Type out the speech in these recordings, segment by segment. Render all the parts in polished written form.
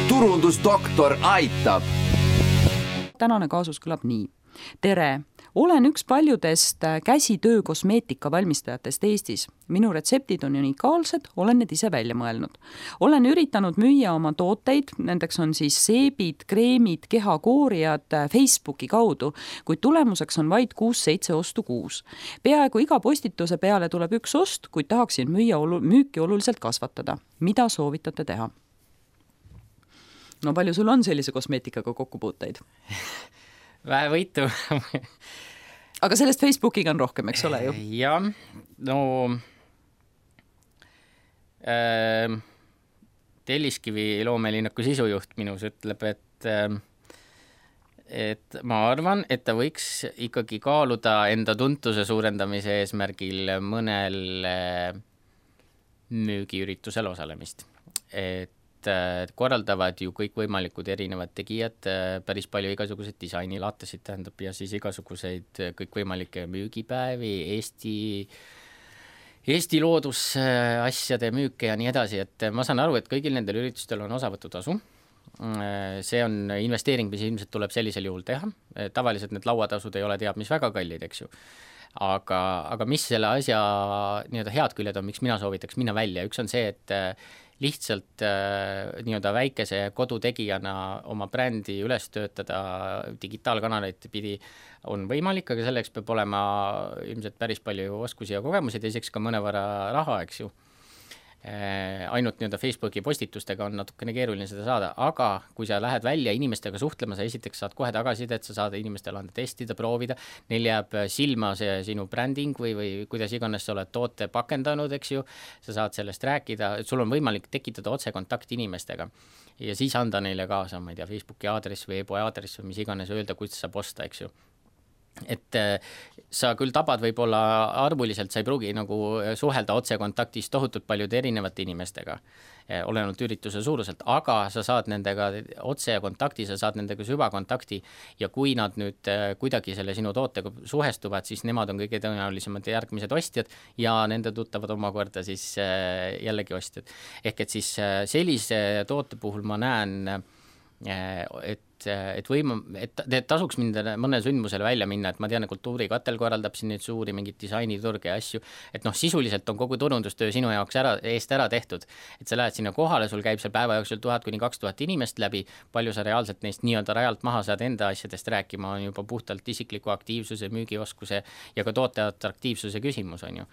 turundusdoktor aitab. Tänane kaasus kõlab nii. Tere! Olen üks paljudest käsitöö kosmeetika valmistajatest Eestis. Minu retseptid on unikaalsed, olen need ise välja mõelnud. Olen üritanud müüa oma tooteid, nendeks on siis seebid, kreemid, kehakoorijad Facebooki kaudu, kuid tulemuseks on vaid 6-7 ostu kuus. Peaaegu iga postituse peale tuleb üks ost, kuid tahaksin müüki oluliselt kasvatada. Mida soovitate teha? No palju sul on sellise kosmeetikaga kokkupuuteid? Vähe võitu. Aga sellest Facebookiga on rohkem, eks ole ju? Jah, no Telliskivi loomelinnaku sisujuht minus ütleb, et ma arvan, et ta võiks ikkagi kaaluda enda tuntuse suurendamise eesmärgil mõnel müügiüritusel osalemist. Et korraldavad ju kõik võimalikud erinevad tegijad, päris palju igasuguseid disainilaatasid tähendab ja siis igasuguseid kõik võimalikke müügipäevi, Eesti loodusasjade müüke ja nii edasi, et ma saan aru, et kõigil nendel üritustel on osavõtutasu. See on investeering, mis ilmselt tuleb sellisel juhul teha. Tavaliselt need lauatasud ei ole teab, mis väga kallid, eks ju. Aga mis selle asja nii-öelda head küljed on, miks mina soovitaks minna välja? Üks on see, et lihtsalt nii-öelda väikese kodutegijana oma brändi üles töötada digitaalkanaleid pidi on võimalik, aga selleks peab olema ilmselt päris palju oskusi ja kogemusi, teiseks ka mõnevõrra raha, eks ju. Ainult nii-öelda Facebooki postitustega on natukene keeruline seda saada, aga kui sa lähed välja inimestega suhtlema, sa esiteks saad kohe tagasisidet, sa saad inimestele anda testida, proovida, neil jääb silma see sinu bränding või kuidas iganes sa oled toote pakendanud, eks ju, sa saad sellest rääkida, et sul on võimalik tekitada otsekontakt inimestega ja siis anda neile kaasa, ma ei tea, Facebooki aadress või e-poe aadress või mis iganes öelda, kuidas saab osta, eks ju. Et sa küll tabad võib-olla arvuliselt, sa ei pruugi nagu suhelda otsekontaktis tohutult paljude erinevate inimestega, olenult ürituse suuruselt, aga sa saad nendega otsekontakti, sa saad nendega süvakontakti ja kui nad nüüd kuidagi selle sinu tootega suhestuvad, siis nemad on kõige tõenäolisemad järgmised ostjad ja nende tuttavad omakorda siis jällegi ostjad. Ehk et siis sellise toote puhul ma näen, et tasuks mind mõne sündmusele välja minna, et ma tean, et Kultuurikatel korraldab siin neid suuri mingid disainiturge ja asju, et sisuliselt on kogu turundustöö sinu jaoks eest ära tehtud, et sa lähed sinna kohale, sul käib seal päeva jooksul 1000–2000 inimest läbi, palju sa reaalselt neist nii-öelda rajalt maha saad enda asjadest rääkima, on juba puhtalt isikliku aktiivsuse, müügioskuse ja ka toote atraktiivsuse küsimus on ju.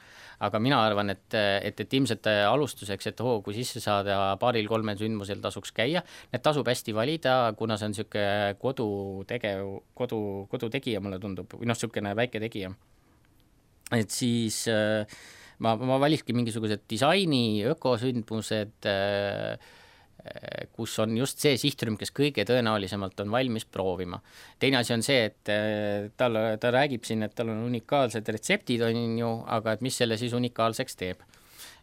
Aga mina arvan, et ilmselt alustuseks, et kui sisse saada 2-3 sündmusel tasuks käia, need tasub hästi valida, kuna see on siuke kodutegija mulle tundub, või niisugune väike tegija. Et siis ma valiski mingisugused disaini, ökosündmused, kus on just see sihtrühm, kes kõige tõenäolisemalt on valmis proovima. Teine asi on see, et ta räägib siin, et tal on unikaalsed retseptid on ju, aga et mis selle siis unikaalseks teeb.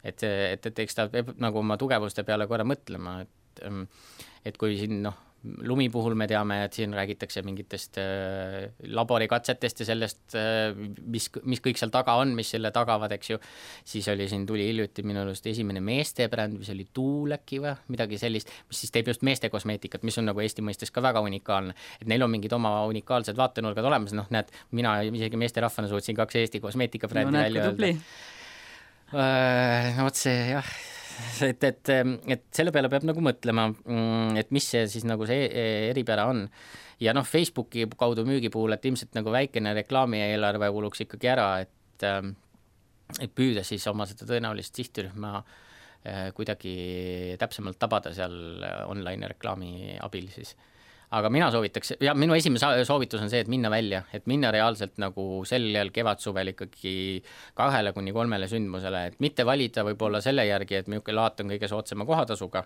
Et eks ta peab nagu oma tugevuste peale korra mõtlema, et kui siin lumi puhul me teame, et siin räägitakse mingitest laborikatsetest ja sellest, mis kõik seal taga on, mis selle tagavad, eks ju. Siis tuli hiljuti minu arust esimene meeste bränd, mis oli Tuuleki või midagi sellist, mis siis teeb just meeste kosmeetikat, mis on nagu Eesti mõistes ka väga unikaalne. Et neil on mingid oma unikaalsed vaatenurgad olemas, näed, mina isegi meeste rahvana suutsin 2 Eesti kosmeetika brändi välja öelda. Vot see, jah. Et selle peale peab nagu mõtlema, et mis see siis nagu see eripära on. Ja Facebooki kaudu müügi puhul, et ilmselt nagu väikene reklaami eelarve kuluks ikkagi ära, et püüda siis oma seda tõenäolist sihtrühma kuidagi täpsemalt tabada seal online reklaami abil siis. Aga mina soovitaks, ja minu esimene soovitus on see, et minna välja, et minna reaalselt nagu sellel kevadsuvel ikkagi 2-3 sündmusele, et mitte valida võib-olla selle järgi, et milline laat on kõige soodsama kohatasuga,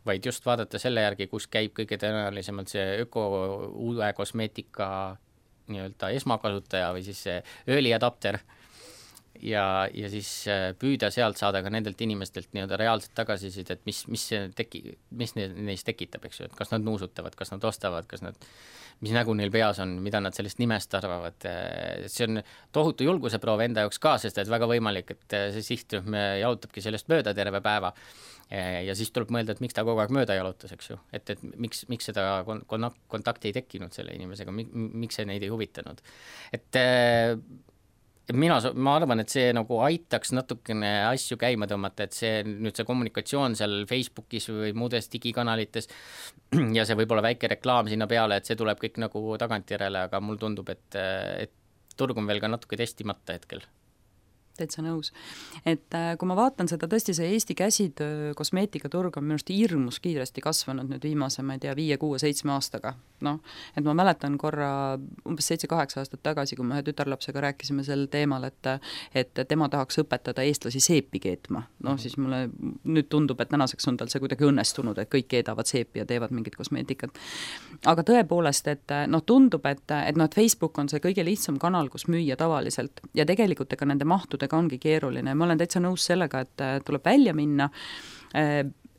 vaid just vaadata selle järgi, kus käib kõige tõenäolisemalt see uue kosmeetika nii-öelda esmakasutaja või siis see ööliadapter. ja siis püüda sealt saada ka nendelt inimestelt nii-öelda reaalselt tagasisidet, et mis neis tekitab, eks ju, et kas nad nuusutavad, kas nad ostavad, mis nägu neil peas on, mida nad sellest nimest arvavad. See on tohutu julguseproov enda jaoks ka, sest et väga võimalik, et see sihtrühm jalutabki sellest mööda terve päeva. Ja siis tuleb mõelda, et miks ta kogu aeg mööda jalutas, eks ju, et miks seda kontakti ei tekkinud selle inimesega, miks see neid ei huvitanud. Et ma arvan, et see nagu aitaks natukene asju käima tõmmata, et see kommunikatsioon seal Facebookis või muudes digikanalites ja see võib-olla väike reklaam sinna peale, et see tuleb kõik nagu tagantjärele, aga mul tundub, et turg on veel ka natuke testimata hetkel. Täitsa nõus. Et kui ma vaatan seda, tõesti see Eesti käsitöö kosmeetikaturg on minust hirmus kiiresti kasvanud nüüd viimase, ma ei tea, 5, 6, 7 aastaga. No, et ma mäletan korra umbes 7-8 aastat tagasi, kui me ühe tütarlapsega rääkisime sel teemal, et tema tahaks õpetada eestlasi seepi keetma. No siis mulle nüüd tundub, et tänaseks on tal see kuidagi õnnestunud, et kõik keedavad seepi ja teevad mingit kosmeetikat. Aga tõepoolest, et tundub, et Facebook on see kõige lihtsam kanal, kus müüa tavaliselt ja tegelikult ega nende mahtude ongi keeruline. Ma olen täitsa nõus sellega, et tuleb välja minna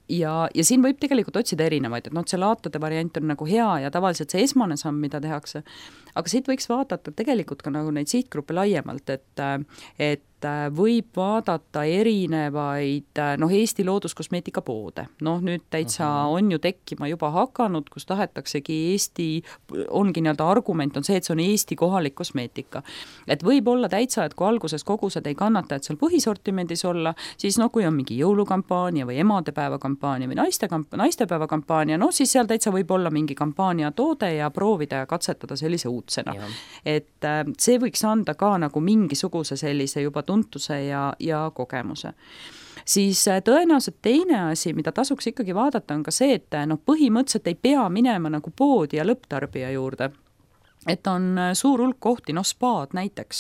ja siin võib tegelikult otsida erinevaid, et see laatade variant on nagu hea ja tavaliselt see esmane samm, mida tehakse, aga siit võiks vaadata tegelikult ka nagu neid sihtgruppe laiemalt, et võib vaadata erinevaid Eesti looduskosmeetika poode. Nüüd täitsa on ju tekkima juba hakanud, kus tahetaksegi ongi nii-öelda argument on see, et see on Eesti kohalik kosmeetika. Et võib olla täitsa, et kui alguses kogused ei kannata, et seal põhisortimendis olla, siis kui on mingi jõulukampaania või emadepäeva kampaania või naistepäeva kampaania, siis seal täitsa võib olla mingi kampaania toode ja proovida ja katsetada sellise uudsena. Et see võiks anda ka nagu mingisuguse sellise juba tuntuse ja kogemuse. Siis tõenäoliselt teine asi, mida tasuks ikkagi vaadata, on ka see, et põhimõtteliselt ei pea minema nagu poodi ja lõpptarbija juurde. Et on suur hulk kohti, spaad näiteks,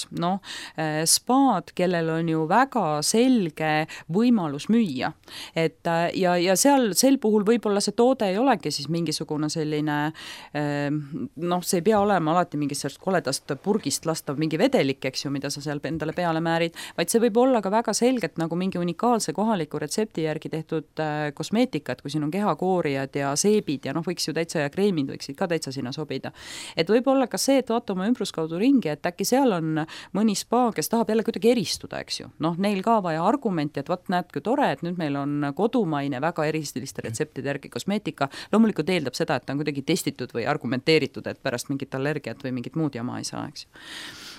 spaad, kellel on ju väga selge võimalus müüa. Et ja sel puhul võib-olla see toode ei olegi siis mingisugune selline, see ei pea olema alati mingist sellest koledast purgist lastav mingi vedelik, eks ju, mida sa seal endale peale määrid, vaid see võib olla ka väga selgelt nagu mingi unikaalse kohaliku retsepti järgi tehtud kosmeetika, et kui siin on kehakoorijad ja seebid ja võiks ju täitsa ja kreemid võiksid ka täitsa sinna sobida. Et võib-olla ka see, et vaata oma ümbruskaudu ringi, et äkki seal on mõni spa, kes tahab jälle kuidagi eristuda, eks ju. Neil ka vaja argumenti, et näed, kui tore, et nüüd meil on kodumaine väga eristiliste retseptide järgi kosmeetika. Loomulikult eeldab seda, et ta on kuidagi testitud või argumenteeritud, et pärast mingit allergiat või mingit muud jama ei saa, eks ju.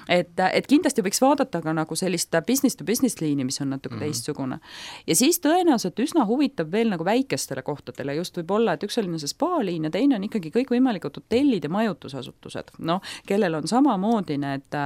Et kindlasti võiks vaadata ka nagu sellist business to business liini, mis on natuke teistsugune. Ja siis tõenäoliselt üsna huvitab veel nagu väikestele kohtadele, just võib olla, et üks oli see spa-liin ja teine on ikkagi kõik võimalikud hotellid ja majutusasutused, kellel on samamoodi need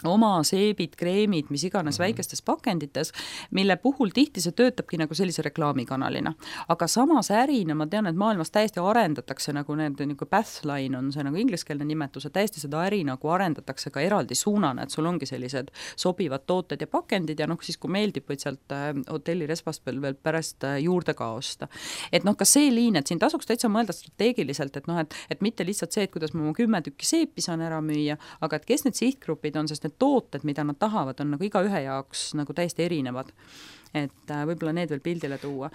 oma seebid, kreemid, mis iganes väikestes pakendites, mille puhul tihti see töötabki nagu sellise reklaamikanalina. Aga samas ärina, ma tean, et maailmas täiesti arendatakse nagu need nagu pathline on see nagu ingliskeelne nimetus, et täiesti seda äri nagu arendatakse ka eraldi suunana, et sul ongi sellised sobivad tooted ja pakendid ja siis kui meeldib, võid sealt hotelli resvast veel pärast juurde ka osta. Et ka see liin, et siin tasuks täitsa mõelda strateegiliselt, et mitte lihtsalt see, et kuidas ma 10 tükki seepi saan ära müüa, aga et kes need sihtgrupid on, sest need tooted, mida nad tahavad, on nagu iga ühe jaoks nagu täiesti erinevad. Et võib-olla need veel pildile tuua.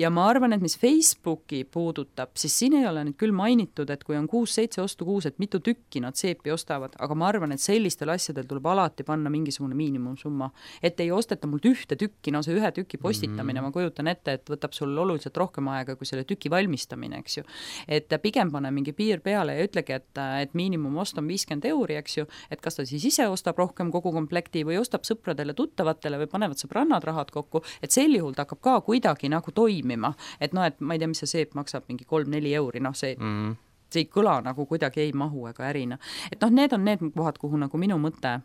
Ja ma arvan, et mis Facebooki puudutab, siis siin ei ole nüüd küll mainitud, et kui on 6-7 ostu kuus, et mitu tükki nad seepi ostavad, aga ma arvan, et sellistel asjadel tuleb alati panna mingisugune miinimumsumma. Et ei osteta mult ühte tükki, see ühe tüki postitamine, ma kujutan ette, et võtab sul oluliselt rohkem aega kui selle tüki valmistamine, eks ju. Et pigem pane mingi piir peale ja ütlegi, et miinimum ost on 50 €, eks ju, et kas ta siis ise ostab rohkem kogu komplekti või ostab sõpradele, tuttavatele või panevad sõbrannad rahad kokku, et sel juhul ta hakkab ka kuidagi nagu toimima, et et ma ei tea, mis see seep maksab mingi 3-4 €, see ei kõla nagu kuidagi ei mahu ega ärina. Et need on need kohad, kuhu nagu minu mõte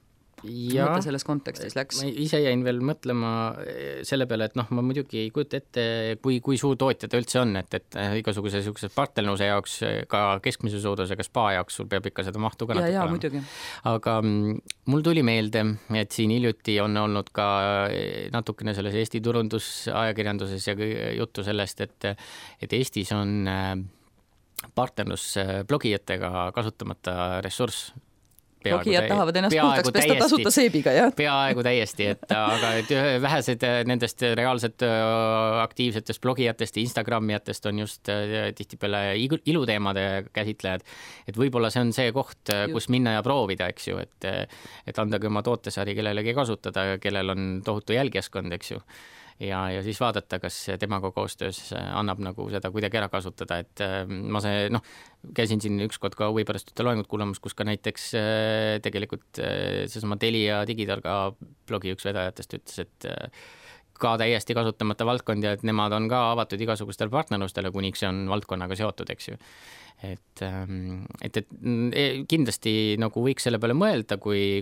selles kontekstis läks. Ma ise jäin veel mõtlema selle peale, et ma muidugi ei kujuta ette, kui suur tootja ta üldse on, et igasuguse partnerluse jaoks, ka keskmise suurusega spa jaoks sul peab ikka seda mahtu ka natuke olema. Muidugi. Aga mul tuli meelde, et siin hiljuti on olnud ka natukene selles Eesti turundusajakirjanduses ja juttu sellest, et Eestis on partnerlus blogijatega kasutamata ressurss. blogijad tahavad ennast puhtaks pesta tasuta seebiga, jah? Peaaegu täiesti, aga vähesed nendest reaalselt aktiivsetest blogijatest ja Instagramijatest on just tihtipeale iluteemade käsitlejad. Et võib-olla see on see koht, kus minna ja proovida, eks ju, et andagi oma tootesari kellelegi kasutada, kellel on tohutu jälgijaskond, eks ju. Ja siis vaadata, kas temaga koostöös annab nagu seda kuidagi ära kasutada, et ma käisin siin ükskord ka huvi pärast ühte loengut kuulamas, kus ka näiteks tegelikult seesama Telia Digitarga blogi üks vedajatest ütles, et ka täiesti kasutamata valdkond ja et nemad on ka avatud igasugustele partnerlustele, kuniks see on valdkonnaga seotud, eks ju. Et kindlasti nagu võiks selle peale mõelda, kui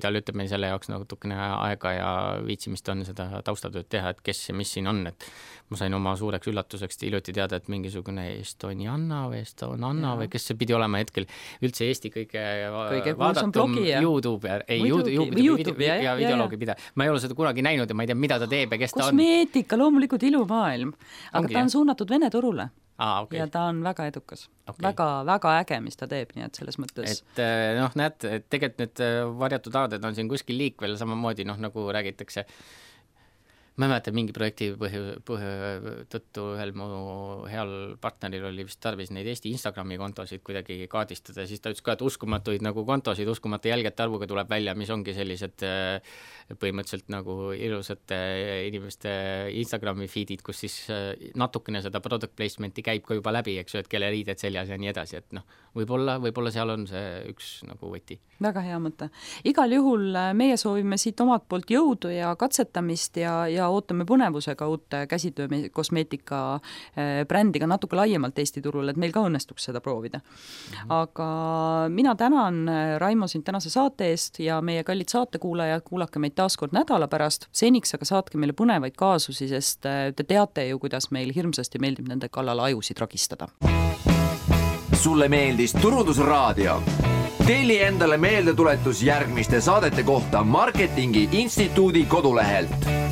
tal ütleme selle jaoks natukene aega ja viitsimist on seda taustatööd teha, et kes ja mis siin on, et ma sain oma suureks üllatuseks hiljuti teada, et mingisugune Estonianna või Estonanna või kes see pidi olema hetkel üldse Eesti kõige vaadatum YouTube ja videoloogi pida. Ma ei ole seda kunagi näinud ja ma ei tea, mida ta teeb ja kes ta on. Kosmeetika, loomulikult ilumaailm, aga ta on suunatud Vene turule. Okay. Ja ta on väga edukas. Väga äge, mis ta teeb, nii et selles mõttes. Et näed, et tegelikult need varjatud aaded on siin kuskil liikvel samamoodi, nagu räägitakse. Ma ei mäleta, mingi projekti tõttu ühel mu heal partneril oli vist tarvis neid Eesti Instagrami kontosid kuidagi kaardistada ja siis ta ütles ka, et uskumatuid nagu kontosid, uskumata jälgijate arvuga tuleb välja, mis ongi sellised põhimõtteliselt nagu ilusate inimeste Instagrami feedid, kus siis natukene seda product placement'i käib ka juba läbi, eks ju, et kelle riided seljas ja nii edasi, et võib-olla seal on see üks nagu võti. Väga hea mõte. Igal juhul meie soovime siit omalt poolt jõudu ja katsetamist ja ootame põnevusega uute käsitöö kosmeetika brändiga natuke laiemalt Eesti turul, et meil ka õnnestuks seda proovida. Aga mina tänan Raimo sind tänase saate eest ja meie kallid saatekuulajad, kuulake meid taaskord nädala pärast. Seniks aga saatke meile põnevaid kaasusi, sest te teate ju, kuidas meil hirmsasti meeldib nende kallal ajusid ragistada. Sulle meeldis Turundusraadio? Telli endale meeldetuletus järgmiste saadete kohta Marketingi Instituudi kodulehelt.